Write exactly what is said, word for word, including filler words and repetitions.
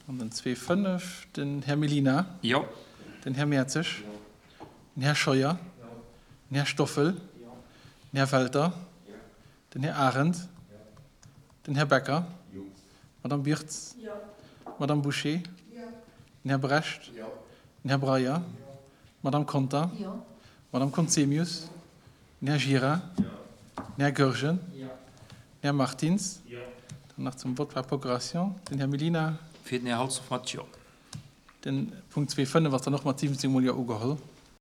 An den zwee fënnef, den Här Mellina. Jo. Den Här Mertzig. Den Här Scheuer. Den Här Stoffel. Den Här Welter. Den Här Arendt. Den Här Becker. D'Madame Birtz. D'Madame Bouché. Den Här Brecht. Den Här Breyer. D'Madame Conter. D'Madame Conzemius. Den Här Gira. Den Här Goergen. Den Här Martins. Dann nach zum Vote par procuration den Här Mellina. Fir den Här Halsdorf mat Jo. Den Punkt zwee fënnef ass dann och mat siwwenzéng mol Jo ugeholl.